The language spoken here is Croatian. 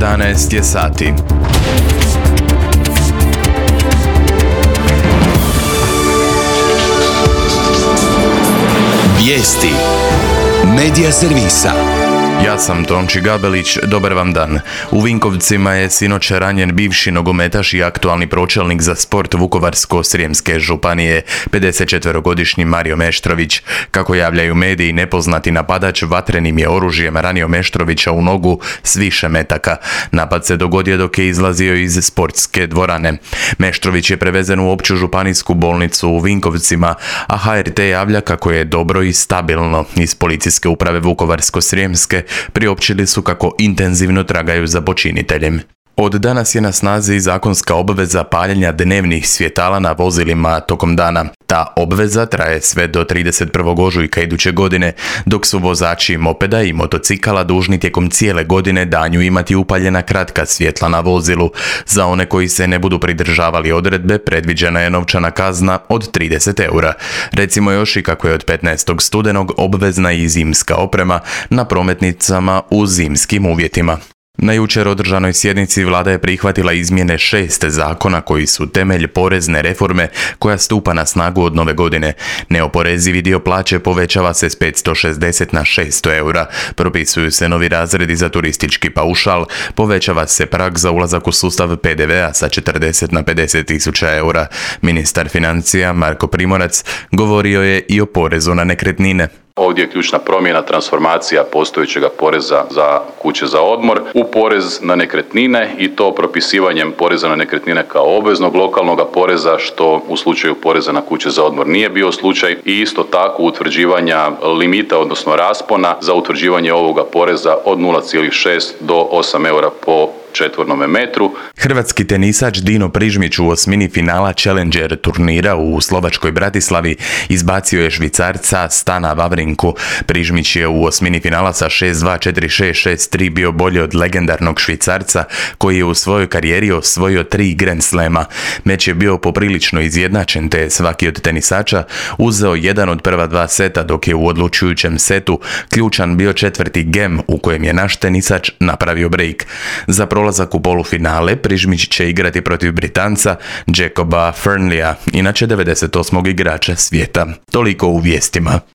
11 je sati. Vijesti Medija servisa. Ja sam Tonči Gabelić, dobar vam dan. U Vinkovcima je sinoć ranjen bivši nogometaš i aktualni pročelnik za sport Vukovarsko-srijemske županije, 54-godišnji Mario Meštrović. Kako javljaju mediji, nepoznati napadač vatrenim je oružjem ranio Meštrovića u nogu s više metaka. Napad se dogodio dok je izlazio iz sportske dvorane. Meštrović je prevezen u opću županijsku bolnicu u Vinkovcima, a HRT javlja kako je dobro i stabilno. Iz policijske uprave Vukovarsko-srijemske priopćili su kako intenzivno tragaju za počiniteljem. Od danas je na snazi zakonska obveza paljenja dnevnih svjetala na vozilima tokom dana. Ta obveza traje sve do 31. ožujka iduće godine, dok su vozači mopeda i motocikala dužni tijekom cijele godine danju imati upaljena kratka svjetla na vozilu. Za one koji se ne budu pridržavali odredbe, predviđena je novčana kazna od 30 eura. Recimo još i kako je od 15. studenog obvezna i zimska oprema na prometnicama u zimskim uvjetima. Na jučer održanoj sjednici vlada je prihvatila izmjene 6 zakona koji su temelj porezne reforme koja stupa na snagu od nove godine. Neoporezivi dio plaće povećava se s 560 na 600 eura, propisuju se novi razredi za turistički paušal, povećava se prag za ulazak u sustav PDV-a sa 40 na 50 tisuća eura. Ministar financija Marko Primorac govorio je i o porezu na nekretnine. Ovdje je ključna promjena, transformacija postojećega poreza za kuće za odmor u porez na nekretnine i to propisivanjem poreza na nekretnine kao obveznog lokalnog poreza, što u slučaju poreza na kuće za odmor nije bio slučaj, i isto tako utvrđivanja limita, odnosno raspona za utvrđivanje ovoga poreza od 0,6 do 8 eura po četvornome metru. Hrvatski tenisač Dino Prižmić u osmini finala Challenger turnira u slovačkoj Bratislavi izbacio je Švicarca Stana Vavrinku. Prižmić je u osmini finala sa 6-2, 4-6, 6-3 bio bolji od legendarnog Švicarca koji je u svojoj karijeri osvojio 3 Grand Slema. Meč je bio poprilično izjednačen, te svaki od tenisača uzeo jedan od prva 2 seta, dok je u odlučujućem setu ključan bio četvrti gem u kojem je naš tenisač napravio break. Za prolazak u polufinale Prižmić će igrati protiv Britanca Jacoba Fearnleya, inače 98. igrača svijeta. Toliko u vijestima.